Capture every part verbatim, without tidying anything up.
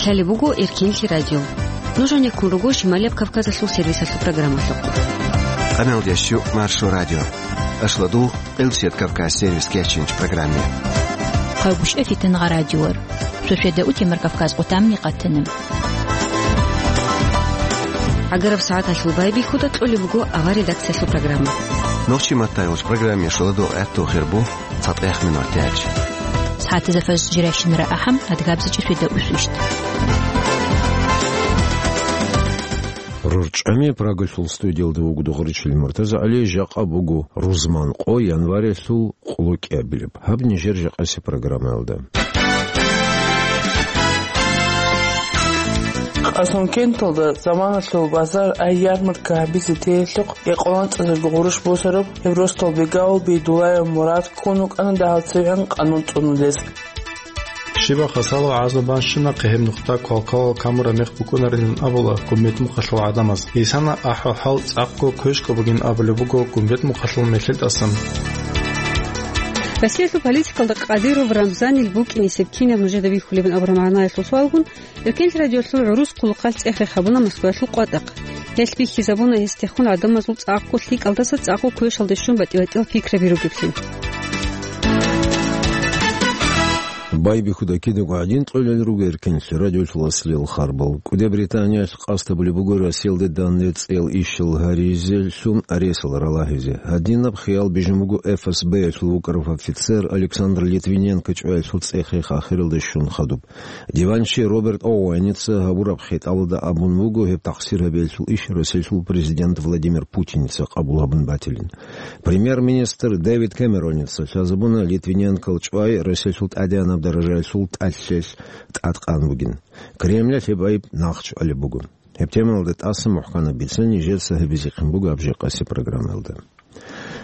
Лъалеб буго Эркенлъи радио. Нуж гьанеккун руго Шималияб Кавказалъул сервисалъул программалъухъ. Къамелдеш Маршо радио. Ашлу дугъ Къилсият Кавказ сервис кечинч программе. Хъавгушев Фитангъа радиор. Шошеда утемар Кавказ къутамни къатана. Агараб сагӀаталъул байбихьуда кьолеб буго авар редакциялъул программа. Нохчи маттайгъуч программе шуладу гӀатту хирбу. ЦатӀех минут тяч. СагӀатазда фажр жирайщинара ахӀам, адгабзичӀи светда усвищт. РорчӀами Прагалъул студиялда вуго Дугъричил МуртазагӀали, жакъа буго рузман къо, январялъул къулукъиабилеб. Гьаб нижер жакъаси программаялда. Къасумкенталда заманалъул базар ай ярмарка гьабизе теялъухъ, Экъоланцазарго гъурущ босараб гьеб росдал бегавул Бейдулаев Мурад ккун вукӀана дагьал цевгӀан къанун цӀунулез. Щибаха, салагьазул банщинахъе гьеб нухда квалквалал камураб мех букӀунарилан абула гумбетмухъалъул гӀадамаз. Гьесана ахӀвал-хӀал цӀакъго квешго бугин абулеб буго гумбетмухъалъул мехьел тӀасан. Россиялъул политикалда Кадыров Рамзанил букӀинесеб кинаб нужеда бихьулебин абураб магӀнаялъул суалгун, Эркенлъи радиолъул гӀурус хъулухъалъ цӀех-рех гьабуна Москваялъул къватӀахъ. Гьелъ бихьизабуна гьесдехун гӀадамазул цӀакъго лъикӀалдаса цӀакъго квешалде щун батӀи-батӀиял пикраби ругеблъи. Байбихьуда кидаго гӀадин кьолел руго Эркенлъи радиолъул аслиял харбал. КӀуди Британиялъ къасд гьабулеб буго Россиялде данде цӀел ишал гьаризелъун аресал ралагьизе. Гьадинаб хиял бижун буго ФСБ-ялъул вукӀарав офицер Александр Литвиненко чӀваялъул цӀех-рех ахиралде щун хадуб. Диванчи Роберт Оуэница гьабураб хитӀабалда абун буго гьеб тахсир гьабиялъул иш Россиялъул президент Владимир Путиница къабул гьабун батилин. Премьер-министр Дэвид Кэмероница лъазабуна Литвиненкол чӀвай Россиялъул тӀадегӀанаб даражаялъул тӀалъелъ тӀадкъан бугин. Кремлалъ гьеб айиб нахъчӀвалеб буго. Гьеб темаялда тӀаса мухӀканаб бицани нижеца гьабизехъин буго гьаб жакъаси программаялда.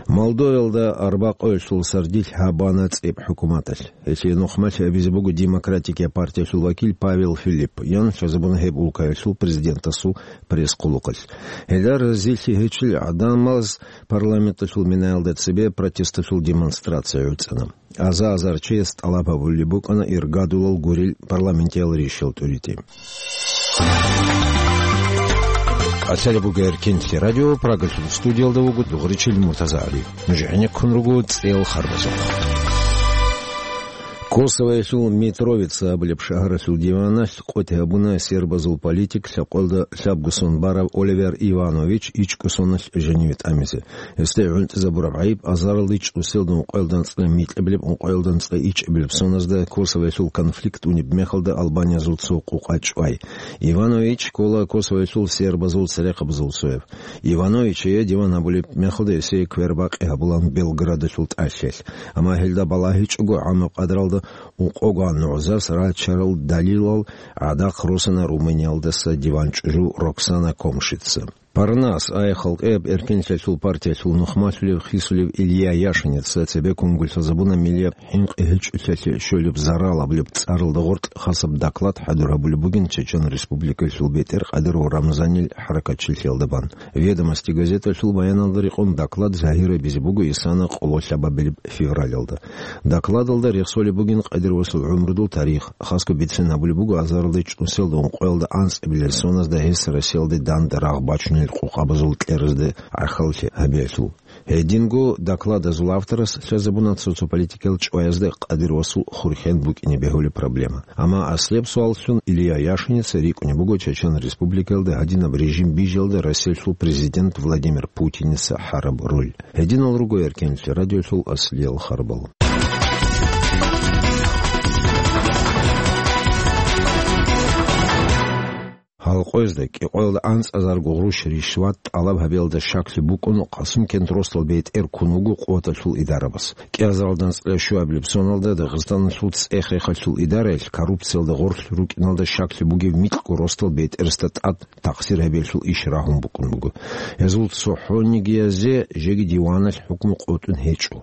Молдовиялда арбакъоялъул сардилъ гьабана цӀиб хӀукуматалъ. Гьелъие нухмалъи гьабизе буго Демократикия партиялъул вакил Павел Филиппов, ян лъазабуна гьеб улкаялъул президентасул пресс-хъулухъалъ. Гьелда разилъи гьечӀел гӀадамаз парламенталъул минаялда цебе протесталъул демонстрация гӀуцӀана. Аза-азар чияс тӀалаб гьабулеб букӀана иргадулал гурел парламентиял ришал тӀуритӀи. Лъалеб буго Эркенлъи радио, Прагалъул студиялда вуго Дугъричил МуртазагӀали. Нуж гӀенеккун руго цӀел харбазухъ. Косовоялъул Митровица абулеб шагьаралъул диваналъ къотӀи гьабуна сербазул политик, лъабкъоялда лъабго сон барав Оливер Иванович ичӀго соналъ жаниве тӀамизе. Гьесде гӀунтӀизабураб гӀайиб азаралда чӀусиялда ункъоялда анцӀила микьабилеб, ункъоялда анцӀила ичӀабилеб соназда Косовоялъул конфликт унеб мехалда албаниязул цо къукъа чӀвай. Иванович ккола Косовоялъул сербазул церехъабазул цояв. Ивановичие диван гьабулеб мехалда гьесие квербакъи гьабулан Белградалъул тӀалъелъ. Амма гьелда балагьичӀого гӀамаб къадралда ункъогоан нугӀзарс рачарал далилал гӀадахъ росана Румыниялдаса диван чӀужу Роксана Комшица. Парнас, ай халкъияб эркенлъиялъул партиялъул нухмалъулев хисулев Илья Яшиница цебеккун гулъазабуна миллияб хӀинкъи гьечӀолъиялъе щолеб зарал абулеб цӀаралда гъоркь хасаб доклад хӀадур гьабулеб бугин Чечен Республикалъул бетӀер Кадыров Рамзанил хӀаракатчилъиялда бан. «Ведомости» газеталъул баяналда рекъон доклад загьир гьабизе буго исана къоло лъабабилеб февралалда. Докладалда рехсолеб бугин Кадыровасул гӀумрудул тарих, хасго бицен гьабулеб буго азаралда чӀусиялда ункъоялда анцӀабилел соназда гьес Россиялде данде рагъ бачунел къукъабазул кьеразде гӀахьаллъи гьабиялъул. Гьединго докладазул авторас лъазабуна цо-цо политикиял чӀваязда Кадыровасул хурхен букӀине бегьулеб проблема. Амма аслияб суаллъун Илья Яшиница рикӀкӀунеб буго Чечен Республикаялда гьадинаб режим бижиялда Россиялъул президент Владимир Путиница гьараб роль. Гьединал руго Эркенлъи радиолъул аслиял харбал. Гьалкъоязда кӀикъоялда анцӀазарго гъруш ришват тӀалаб гьабиялда щаклъи букӀун Къасумкент росдал бетӀер ккун вуго къуваталъул идарабас. КӀиазаралда анцӀила щуабилеб соналда Дагъистаналъул цӀех-рехалъул идараялъ коррупциялда гъорлъ рукӀиналда щаклъи бугеб микьго росдал бетӀерасда тӀад тахсир гьабиялъул иш рагьун букӀун буго. Гьезул цохӀонигиязе жеги диваналъ хӀукму къотӀун гьечӀо.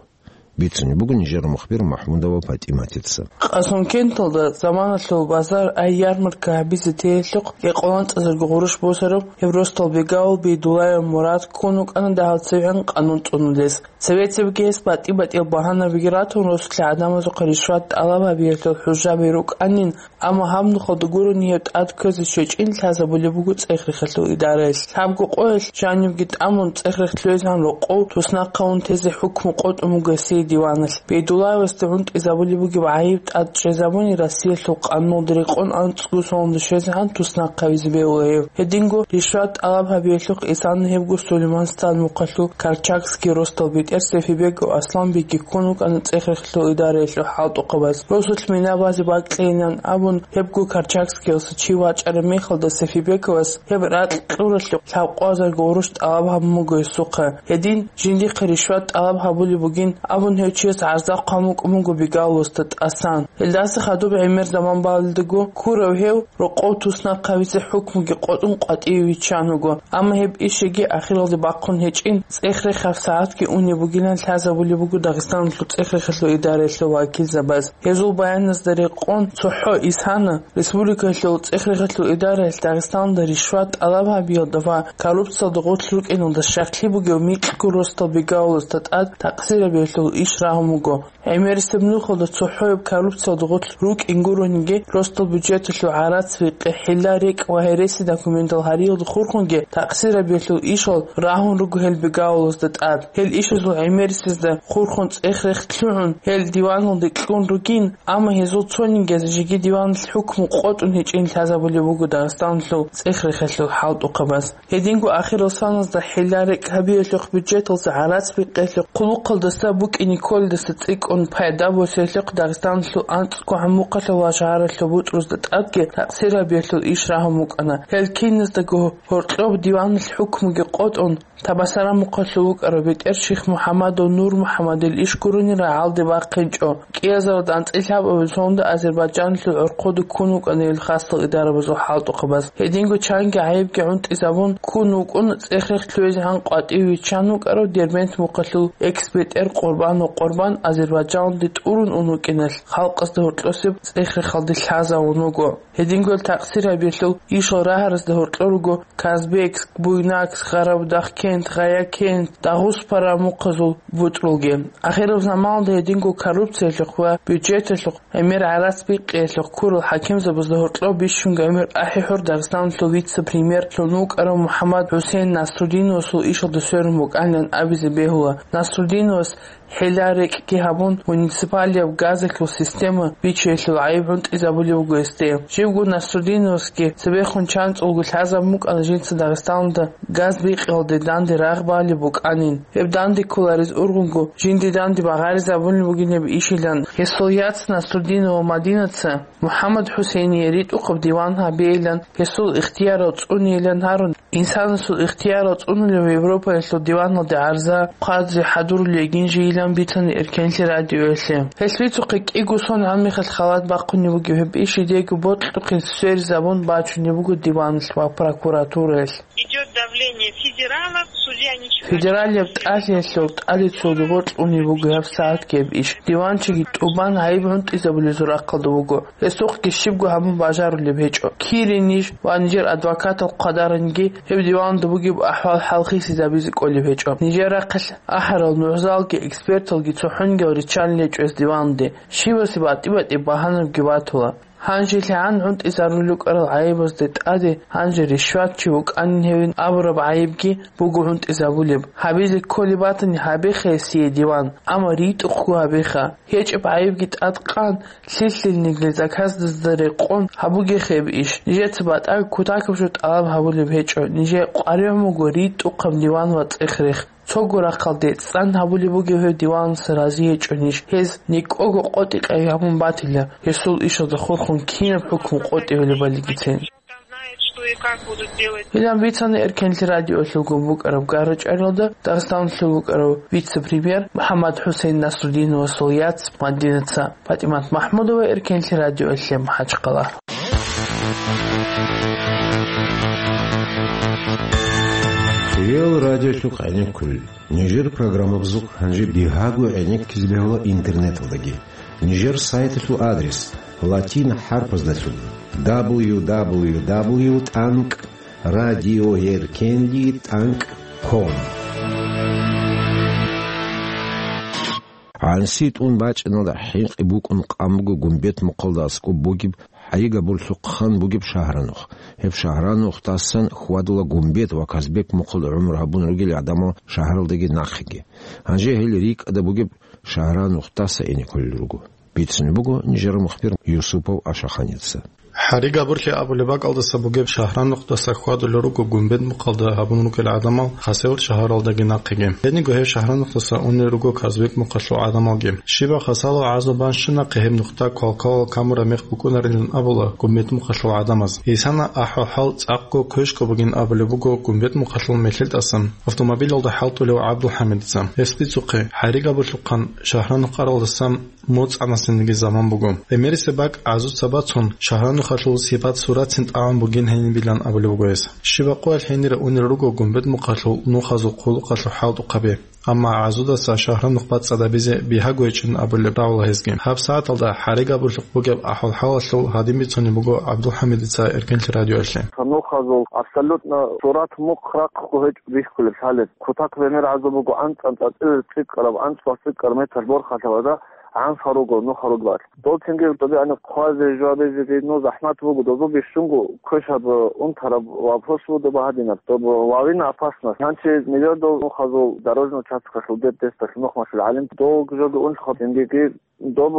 бицунеб буго нижер мухбир МахӀмудова ПатӀиматица. Къасумкенталда заманалъул базар, ай ярмарка гьабизе теялъухъ, кӀикъоялда анцӀазарго гъурущ босараб гьеб росдал бегавул Бейдуллаев Мурад ккун вукӀана дагьал цевегӀан къанун цӀунулес. Цебе-цебеги гьес батӀи-батӀиял багьанабиги ратун, росулъа гӀадамазухъе ришват тӀалаб гьабиялъул хӀужаби рукӀанин, амма гьаб нухалда гурони гьеб тӀад кквезе щвечӀин лъазабулеб буго цӀех-рехалъул идараялъ. Лъабго къоялъ жанибги тӀамун цӀех-рех лъугӀизегӀан рокъов туснахъ гьавун тезе хӀукму къотӀун буго гьесие диваналъ. Бейдуллаевасде гӀунтӀизабулеб бугеб гӀайиб тӀад чӀезабуни, Россиялъул къануналда рекъон анцӀго соналда щвезегӀан туснахъ гьавизе бегьула гьев. Гьединго ришват тӀалаб гьабиялъухъ Исана гьебго Сулейман-Стан мухъалъул Карчагский росдал бетӀер Сефибегов Асланбекги ккун вукӀана цӀех-рехалъул идараялъул хӀалтӀухъабаз. Росулъ мина базе бакьейилан абун, гьебго Карчагскиялъа чи вачӀараб мехалда Сефибеговас гьеб ракь кьуралъухъ лъабкъоязарго гъурущ тӀалаб гьабун буго гьесухъа. Гьедин жиндихъе ришват тӀалаб гьабулеб бугин абун, гьев чияс гӀарзахъ хъван букӀун буго бегавуласда тӀасан. Гьелдаса хадуб гӀемер заман балелдаго ккурав гьев рокъов туснахъ гьавизе хӀукмуги къотӀун къватӀиве виччан вуго, амма гьеб иш яги ахиралде бахъун гьечӀин, цӀех-рех гьабсагӀатги унеб бугилан лъазабулеб буго Дагъистаналъул цӀех-рехалъул идараялъул вакилзабаз. Гьезул баяназда рекъон, цохӀо Исана республикалъул цӀех-рехалъул идараялъ Дагъистаналда ришват тӀалаб гьабиялда ва коррупциялда гъорлъ рукӀиналда щаклъи бугев микьго росдал бегавуласда тӀад такъсирабиялъул иш рагьун буго. ГӀемерисеб нухалда цохӀояб коррупциялда гъорлъ рукӀин гурониги, росдал бюджеталъул гӀарац-бикъи, хӀилла-рекӀкӀ ва гьереси документал гьариялда хурхунги такъсирабиялъул ишал рагьун руго гьел бегавулазда тӀад. Гьел ишазул гӀемерисезда хурхун цӀех-рех лъугӀун, гьел диваналде кьун ругин, амма гьезул цониги жеги диваналъ хӀукму къотӀун гьечӀин лъазабулеб буго Дагъистаналъул цӀех-рехалъул хӀалтӀухъабаз. Гьединго ахирал саназда хӀилла-рекӀкӀ гьабиялъухъ, бюджеталъа гӀарац-бикъиялъухъ, хъулухъалдаса букӀине кколелдаса цӀикӀкӀун пайда босиялъухъ Дагъистаналъул анцӀго гӀумрухъалъул ва шагьаралъул бутӀрузда тӀадги такъсирабиялъул иш рагьун букӀана. Гьел киназдаго гьоркьоб диваналъ хӀукмуги къотӀун, Табасаран мухъалъув вукӀарав бетӀер Шихмухьамадов Нурмухьамадил иш гурони рагӀалде бахъинчӀо. КӀиазаралда анцӀила лъабабилеб соналда Азербайджаналъул гӀорхъода ккун вукӀана гьел хасал идарабазул хӀалтӀухъабаз. Гьединго чанги гӀайибги гӀунтӀизабун ккун вукӀун, цӀех-рех лъугӀизегӀан къватӀиве виччан вукӀарав Дербент мухъалъул экс-бетӀер Къурбанов Къурбан Азербайджаналде тӀурун ун вукӀиналъ, халкъазда гьоркьосеб цӀех-рехалде лъазавун вуго. Гьединго гьел такъсирабиялъул ишал рагьаразда гьоркьор руго Казбекск, Буйнакск, Гъарабудахъкент, Гъаякент, Дагъуспаран мухъазул бутӀрулги. Ахираб заманалда гьединго коррупциялъухъ ва бюджеталъухъ, гӀемер гӀарац-бикъиялъухъ ккурал хӀакимзабазда гьоркьоб бищунго гӀемер ахӀи-хӀур Дагъистаналъул вице-премьерлъун вукӀарав МухӀаммад-ХӀусейн Насрудиновасул ишалда сверун букӀанилан абизе бегьула. Насрудиновас хӀилла-рекӀкӀги гьабун, муниципалияб газалъул система бичиялъул гӀайиб гӀунтӀизабулеб буго гьесде. Живго Насрудиновасги цебехун чанцӀулго лъазабун букӀана жинца Дагъистаналда газ бикъиялде данде рагъ балеб букӀанин. Гьеб данде кколарез ургъунго жинде данде багъаризабулеб бугин гьеб ишилан. Гьесул яц Насрудинова Мадинаца МухӀаммад-ХӀусейние ритӀухъаб диван гьабейилан, гьесул ихтиярал цӀунейилан гьарун, инсанасул ихтиярал цӀунулев Европаялъул диваналде гӀарза, хъвазе хӀадурулей йигин жийилан бицана Эркенлъи радиоялъе. Гьелъ бицухъе кӀиго сон гьаниб мехалъ халат бахъунеб бугеб гьеб иш жидеего бокьухъе сверизабун бачунеб буго диваналъ ва прокуратураялъ. Идёт давление федералов, судья ничего не... Федералияб тӀалъиялъул тӀаде цо дугъор кьунеб буго гьаб сагӀатги гьеб иш. Диванчиги тӀубан гӀайиб гӀунтӀизабулезул рахъалда вуго. Гьесухъги щибго гьабун бажарулеб гьечӀо. Кири ниж ва нижер адвокатал хъвадаранги гьеб диваналда бугеб ахӀвал хӀалхисезабизе кӀолеб гьечӀо. Нижер рахъалъ ахӀарал нугӀзалги эксперталги цохӀонгиял риччалел гьечӀо гьес диваналде. Щивасе батӀи-батӀи багьанабги батула. ГьанжелъагӀан гӀунтӀизарулел рукӀарал гӀайибазде тӀаде гьанже ришватчи вукӀанин гьевин абураб гӀайибги буго гӀунтӀизабулеб. Гьабизе кколеб батани, гьабеха гьесие диван, амма ритӀухъго гьабеха. ГьечӀеб гӀайибги тӀад къан, лъилъилниги заказдазда рекъон гьабугеха гьеб иш. Нижеца батӀа кутакаб жо тӀалаб гьабулеб гьечӀо, нижее къваригӀун буго ритӀухъаб диван ва цӀех-рех. Цого рахъалде цӀан гьабулеб бугеб гьев диваналъ рази гьечӀо ниж. Гьез никӀого къотӀи-къай гьабун батила, гьесул ишазда хурхун кинаб хӀукму къотӀи гьолебалигицин. Знает, что и как будут делать. Гьелан бицана Эркенлъи радиоялъулгун букӀараб гара-чӀваралда Дагъистаналъул вукӀарав вице-премьер МухӀаммад-ХӀусейн Насрудиновасул яц Мадинаца. ПатӀимат МахӀмудова, Эркенлъи радиоялъе, МахӀачхъала. Ил радиолъухъ гӀенеккулел. Нижер программабазухъ гьанже бигьаго гӀенеккизе бегьула интернеталдаги. Нижер сайталъул адрес латин хӀарпаздалъун: дабл ю дабл ю дабл ю тӀанкӀ радиоеркенди тӀанкӀ ком. ГӀанси тӀун бачӀиналда хӀинкъи букӀун къан буго Гумбет-Мухъалда аскӀоб бугеб ХӀаригабурлъухъ хан бугеб Шагьранухъ. Гьеб Шагьранухъдасан хьвадула Гумбет ва Казбек-Мухъалда гӀумру гьабун ругел гӀадамал шагьаралдаги нахъеги. Гьанже гьел рикӀкӀада бугеб Шагьранухъдаса ине кколел руго. Бицунеб буго нижер мухбир Юсупов Ашаханица. ХӀаригабурлъи абулеб бакӀалдаса бугеб Шагьранухъдаса хьвадулел руго Гумбет-Мухъалда гьабун ругел гӀадамал Хасавюрт шагьаралдаги нахъеги. Гьединго гьеб Шагьранухъдаса унел руго Казбек-Мухъалъул гӀадамалги. Щибаб хасало гӀазаб бан щунахъе гьеб нухда квалквалал камураб мех букӀунарилан абула Гумбет-Мухъалъул гӀадамаз. Гьесана ахӀвал-хӀал цӀакъго квешго бугин абулеб буго Гумбет-Мухъалъул мехьилтӀасан автомобилалда хӀалтӀулев ГӀабдулхӀамидица. Гьес бицухъе, ХӀаригабурлъухъан Шагьранухъ аралдасан моцӀанасениги заман буго. Гьемерисеб бакӀ гӀазуца бацун, Шагьранухъалъул сипат-сурацин тӀагӀун бугин гьенибилан абулеб буго гьес. Щибаб къоялъ гьенире унел руго Гумбет-Мухъалъул нухазул хъулухъалъул хӀалтӀухъаби. Амма гӀазудаса Шагьранухъ бацӀцӀадабизе бигьаго гьечӀин абулеб рагӀула гьезги. Гьаб сагӀаталда ХӀаригабурлъухъ бугеб ахӀвал-хӀалалъул гьадин бицунеб буго ГӀабдулхӀамидица Эркенлъи радиоялъе. Нухазул абсолютно сурат мухъ-рахъго гьечӀо бихьулеб лъалеб. Кутакаб гӀемер гӀазаб буго анцӀ-анцӀ цӀикӀкӀараб, анцӀ ва цӀикӀкӀараб метр борхалъа ва да гӀанха руго, нуха руго. Дол цинги тӀубиани хъвазе, жвабизе гьедин захӀмат буго, дозул бищунго квешаб, унтараб вопрос вуго гьадинаб, доб вавина опасность. Гьанчи нижер дол нухазул дорожный участкалъул деб десдалъ нух машул гӀалим, дол жоги унлъухъаб цинги доб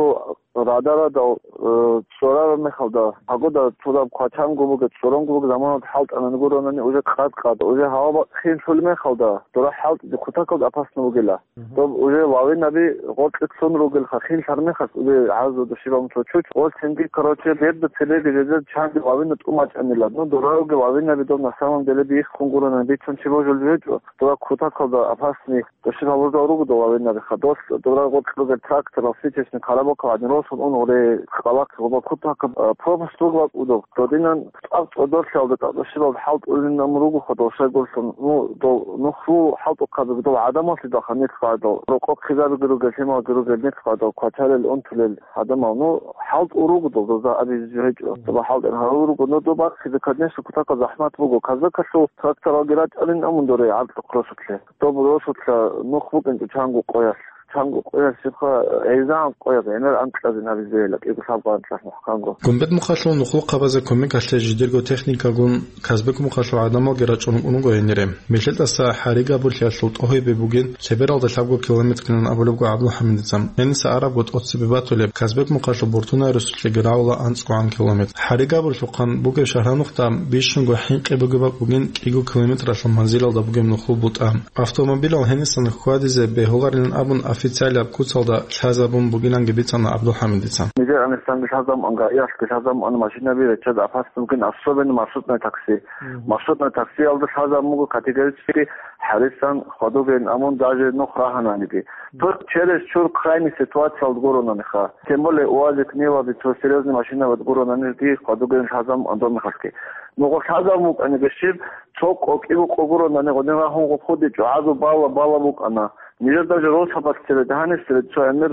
радарадал, э, цӀорараб мехалда, погода цураб квачанго буго, цӀоронго буго заманалда хӀалтӀанани гуронани уже къад-къад, уже гьава бахъинлъул мехалда, дора хӀалтӀизе кутакалда опасно бугила. Мгм. Доб уже лавинаби гъоркье лъун ругелха, хинлъар мехалъ уже гӀазу душиб амцо чуч. Гъолцинги, короче, берда цебеги жезе чанги лавина тӀумачӀанила. Ну, дораги лавинаби доб на самом деле биххун гурони бицун чи божулеб гьечӀо. Дора кутакалда опасный душиб гьабурзал руго доб лавинаби ха. Дос дора гъоркь ругел трактор, ситечный карабокал гьадин росун ун уре къалахъ гъоба кутакаб, а, пропуск ругла удоб. Додинан тӀад цӀодорлъиялда тӀад душибал хӀалтӀулин ам руго ха дол шайгурлъун. Ну, дол нухлу хӀалтӀухъабиги дол гӀадамаллъидал ха нилъ гъадал. Рокъоб хъизабиги ругел, лъималги ругел нилъ гъадал, квачарел, унтулел гӀадамал. Ну, хӀалтӀу руго дол, доза абизе гьечӀо. Доба хӀалтӀен гьарул руго. Ну, доба хъизе, конечно, кутака захӀмат буго. Казакалъул тракторалги рачӀалин амун доре гӀаркьухъ росулъе. Доб росулъа нух букӀинчӀо чанго къоялъ. Чанго къоялъ щибха, гӀезегӀан къояб, гӀемер анкьазе набизейила, кӀиго лъабго анкьалъ мухӀканго. Гумбет-Мухъалъул нухлухъабазе кумекалъе жидерго техникагун Казбек-Мухъалъул гӀадамалги рачӀун унгоинере. Мехьилтаса ХӀаригабурлъиялъул тӀогьибе бугин лъебералда лъабго километрилан абулебго ГӀабдулхӀамидица. Гьениса арабго тӀоцебе батулеб Казбек-Мухъалъул Буртунаерусулъеги рагӀула анцӀго гӀан километр. ХӀаригабурлъухъан бугеб Шагьранухъда бищунго хӀинкъи бугеб бакӀ бугин кӀиго километралъул манзилалда бугеб нухлу бутӀа. Автомобилал гьенисан хьвадизе бегьуларилан абун официалияб куцалда лъазабун бугиланги бицана ГӀабдулхӀамидица. Нижер анисанги лъазабун, гаиялъги лъазабун машинаби реччад опасно бугин, особенно маршрутное такси. Мгм. Маршрутное таксиялда лъазабун буго категорически хӀарисан хьвадугейин амун даже нух рагьананиги. Только через чур крайний ситуациялда гуронаниха. Тем более УАЗик, Ниваби, цо серьезный машинабад гуронанирги хьвадугейин лъазабун андорнахалъги. Нугъо лъазабун букӀаниги щиб, цо къокӀи букъо гуронани гъодин рагьун гъо хъудичӀо, гӀазу бала-бала букӀана. Нижер даже росабалъ цебе, дагьаниб цебе цо гӀемер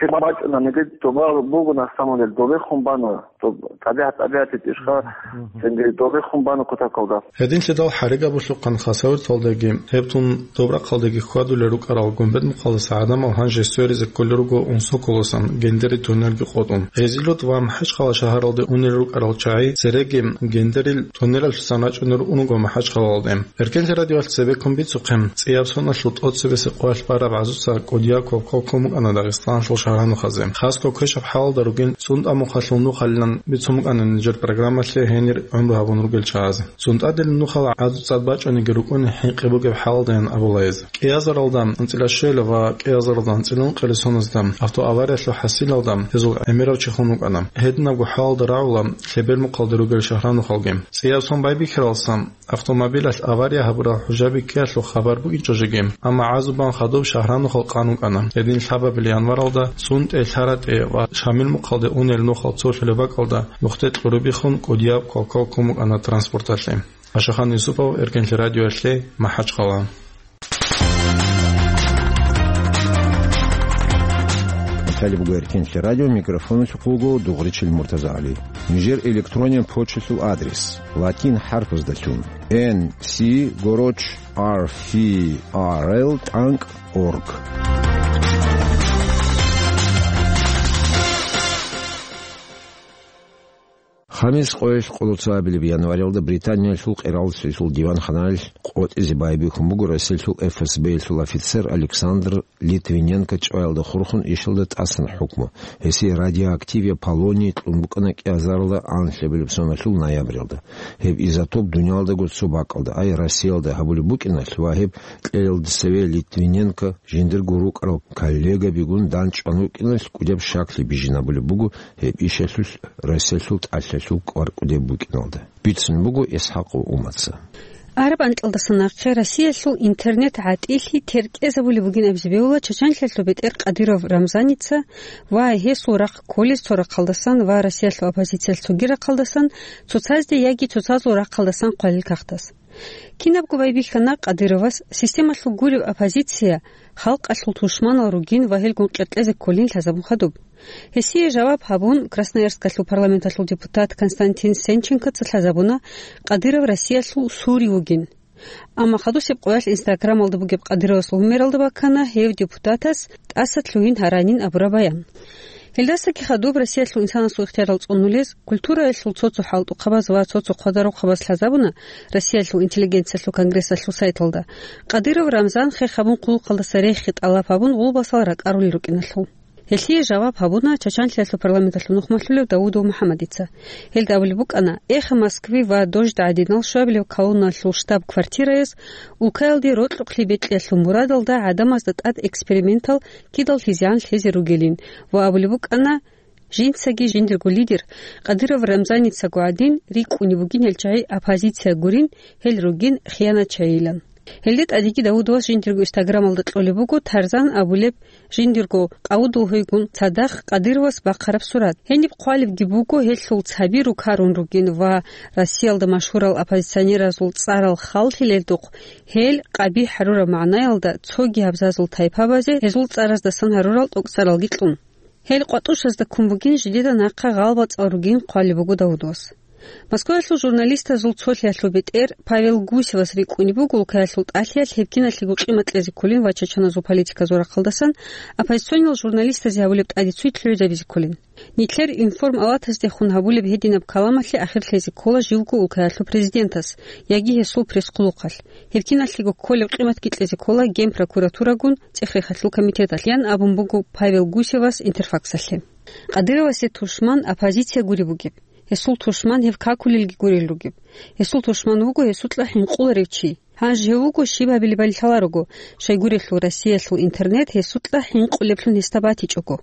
лъим бачӀунаниги, доба буго на самом деле, добехун бана, доб-, тӀабигӀат-тӀабигӀат итӀишха, Мгм. цинги добехун бана кутакалда. Гьединлъидал ХӀаригабулъухъан Хасавюрталдаги, гьеб тун Добрахъалдаги хьвадулел рукӀарал Гумбет-Мухъалдаса гӀадамал гьанже сверизе кколел руго Унсоколосан, Гендери туннелги къотӀун. Гъезилот ва МахӀачхъала шагьаралде унел рукӀарал чагӀи цереги Гендерил туннелалъусан рачӀунел руго МахӀачхъалалде. Эркенлъи радиоялъ цебеккун бицухъе, цӀияб соналъул тӀоцебесеб къоялъ бараб гӀазуца кӀудияб квалквал ккун букӀана Дагъистаналъул шагьранухъазе. Хасго квешаб хӀалалда ругин, СунтӀа-Мухъалъул нухалилан бицун букӀана нижер программалъе гьенир гӀумру гьабун ругел чагӀазе. СунтӀадилан нухал гӀазу цӀад бачӀаниги рукӀуни хӀинкъи бугеб хӀалалдаян абула гьез. КӀиазаралда анцӀила щвела ва кӀиазаралда анцӀила ункъила соназда автоавариялъул хӀасилалда гьезул гӀемерав чи хун вукӀана. Гьединабго хӀалалда рагӀула Лъебермухъалда ругел шагьранухъалги. ЦӀияб сон байбихьаралдасан автомобилалъ авария гьабурал хӀужаби ккеялъул хабар букӀинчӀо жеги, амма гӀазу бан хадуб шагьранухъал къан вукӀана. Гьедин лъабабил январалда ЦӀунтӀе, ЛъаратӀе ва Шамилмухъалде унел нухал цолъулеб бакӀалда нухде кьурабихъун кӀудияб квалквал ккун букӀана транспорталъе. Ашахан Юсупов, Эркенлъи радиоялъе, МахӀачхъала. Италия буго Эркенлъи радио, микрофоналъухъ вуго Дугъричил МуртазагӀали. Нижер электронный почталъул адрес: латин хӀарпаздалъун, Н С гороч R F R L тӀанкӀ орг. Хамис къоялъ къолоцабилеб январалда Британиялъул къиралцинлъул диванханаялъ къотӀизе байбихьун буго Россиялъул Ф С Б-ялъул офицер Александр Литвиненко чӀваялда хурхун ишалда тӀасан хӀукму. Гьесие радиоактивия полоний кьун букӀана кӀиазаралда анлъабилеб соналъул ноябралда. Гьеб изотоп дуниялдаго цо бакӀалда, ай Россиялда гьабулеб букӀиналъ ва гьеб кьелалде цеве Литвиненко жиндирго рукӀарал коллегабигун данчӀван вукӀиналъ кӀудияб щаклъи бижинабулеб буго гьеб ишалъулъ Россиялъул тӀалъалъул кӀвар кӀудеб букӀиналда. Бицун буго ИсхӀакъов Умаца. Араб анкьалдаса нахъе Россиялъул интернет гӀатӀилъи теркӀезабулеб бугин абизе бегьула Чачанлъиялъул бетӀер Кадыров Рамзаница ва гьесул рахъ кколез цо рахъалдасан ва Россиялъул оппозициялъ цоги рахъалдасан, цоцазде яги цоцазул рахъалдасан хъвалил кагътас. Кинабго байбихьана Кадыровас системалъул гуреб оппозиция халкъалъул тушманал ругин ва гьелгун къеркьезе кколин лъазабун хадуб. Гьесие жаваб гьабун, Красноярскалъул парламенталъул депутат Константин Сенченкоца лъазабуна Кадыров Россиялъул сури вугин. Амма хадусеб къоялъ Инстаграмалда бугеб Кадыровасул гьумералда баккана гьев депутатас тӀаса лъугьин гьаранин абураб баян. Гьелдасаги хадуб Россиялъул инсанасул ихтиярал цӀунулез, культураялъул цо-цо хӀалтӀухъабаз ва цо-цо хъвадарухъабаз лъазабуна Россиялъул интеллигенциялъул конгрессалъул сайталда, Кадыров Рамзан хех гьабун хъулухъалдаса рехи тӀалаб гьабун гъулбасал ракӀарулел рукӀиналъул. Гьелъие жаваб гьабуна Чачанлъиялъул парламенталъул нухмалъулев Давудов МухӀаммадица. Гьелда абулеб букӀана, Эхо Москвы ва Дождь гӀадинал щвабилев колонналъул штаб-квартираяс улкаялде рокьукълъи бекьиялъул мурадалда гӀадамазда тӀад экспериментал кидал лъизегӀан лъезе ругелин ва абулеб букӀана, жинцаги жиндирго лидер Кадыров Рамзаницаго гӀадин рикӀкӀунеб бугин гьел чагӀи оппозиция гурин, гьел ругин хиянатчагӀийилан. Гьелде тӀадеги Давудовас жиндирго Инстаграмалда кьолеб буго Тарзан абулеб жиндирго къавудул гьуйгун цадахъ Кадыровас бахъараб сурат. Гьениб хъвалебги буго гьелъул цаби рукарун ругин ва Россиялда машгьурал оппозиционеразул цӀарал халлъилелдухъ гьел къабихӀ гьарураб магӀнаялда цоги абзазул тайпабазе гьезул цӀараздасан гьарурал тӀокӀцӀаралги кьун. Гьел къватӀушазда ккун бугин жидеда нахъа гъалбацӀал ругин хъвалеб буго Давудовас. Москваялъул журналистазул цолъиялъул бетӀер Павел Гусевас рикӀкӀунеб буго улкаялъул тӀалъиялъ гьеб киналъего къимат кьезе кколин ва чачаназул политиказул рахъалдасан оппозиционал журналистазе гьабулеб тӀадеццуй лъугӀизабизе кколин. Нилъер информалатаздехун гьабулеб гьединаб каламалъе ахир лъезе ккола живго улкаялъул президентас яги гьесул пресс-хъулухъалъ. Гьеб киналъего кколеб къиматги кьезе ккола Генпрокуратурагун цӀех-рехалъул комитеталъ, ян абун буго Павел Гусевас Интерфаксалъе. Кадыровасе тушман оппозиция гуреб бугеб. Гьесул тушман гьев какулелги гурел ругеб. Гьесул тушман вуго гьесукьа хӀинкъуларев чи. Гьанже гьев вуго щиб гьабилебали лъаларого, щайгурелъул Россиялъул интернет гьесукьа хӀинкъулеблъун гьесда батичӀого.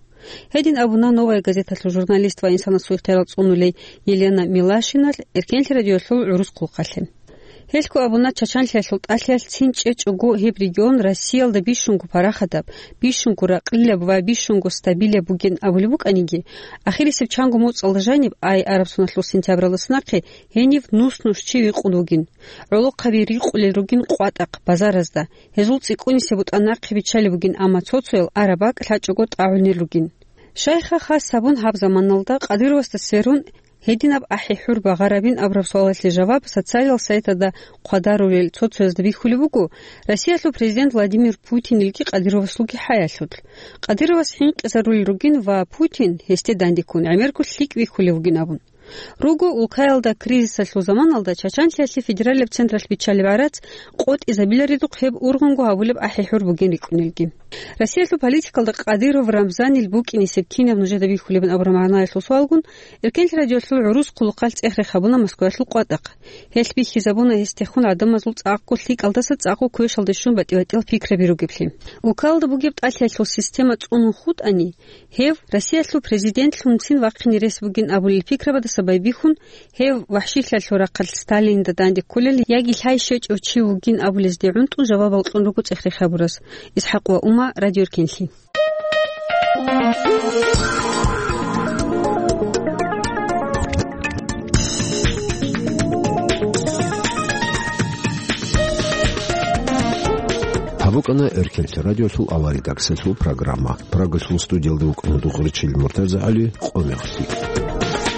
Гьедин абуна «Новая газеталъул» журналист ва инсанасул ихтиярал цӀунулей Елена Милашиналъ Эркенлъи радиоялъул гӀурус хъулухъалъе. Гьелъго абуна, Чачанлъиялъул тӀалъиялъ цин чӀечӀого гьеб регион Россиялда бищунго парахатаб, бищунго ракълилаб ва бищунго стабилаб бугин абулеб букӀаниги, ахирисеб чанго моцӀалда жаниб, ай араб соналъул сентябралдаса нахъе гьенив нус-нус чи викъун вугин. ГӀолохъаби рикъулел ругин къватӀахъ, базаразда. Гьезул цӀикӀкӀунисеб бутӀа нахъе биччалеб бугин, амма цо-цоял араб бакӀ лъачӀого тӀагӀунел ругин. Щайха хас гьабун гьаб заманалда Кадыровасда сверун гьединаб ахӀи-хӀур багъарабин абураб суалалъе жаваб социалал сайтазда хъвадарулел цо-цоязда бихьулеб буго, Россиялъул президент Владимир Путинилги Кадыровасулги хӀаялъулъ. Кадыровас хӀинкъизарулел ругин ва Путин, гьесде дандеккун, гӀемерго лъикӀ вихьулев вугин абун. Руго улкаялда кризисалъул заманалда Чачанлъиялъе федералияб централъ биччалеб гӀарац къотӀизабиларидухъ гьеб ургъунго гьабулеб ахӀи-хӀур бугин рикӀкӀунелги. Россиялъул политикалда Кадыров Рамзанил букӀинисеб кинаб нужеда бихьулебин абураб магӀнаялъул суалгун, Эркенлъи радиоялъул гӀурус хъулухъалъ цӀех-рех гьабуна Москваялъул къватӀахъ. Гьелъ бихьизабуна гьес техун гӀадамазул цӀакъго лъикӀалдаса цӀакъго квешалде щун батӀи-батӀиял пикраби ругеблъи. Улкаялда бугеб тӀалъиялъул система цӀунун хутӀани, гьев Россиялъул президентлъунцин вахъине рес бугин абулел пикрабадаса байбихьун, гьев вахӀшилъиялъул рахъалъ Сталинда данде кколел яги лъай щвечӀев чи вугин абулезде гӀунтӀун жавабал кьун руго цӀех-рех гьабурас. ИсхӀакъ ва Ума, Радио Эркенлъи. Гьаб букӀана Эркенлъи радиосул аваридаксалъул программа. Прагалъул студиялда вукӀана дугӀурчил МуртазагӀали, къо мехалъ.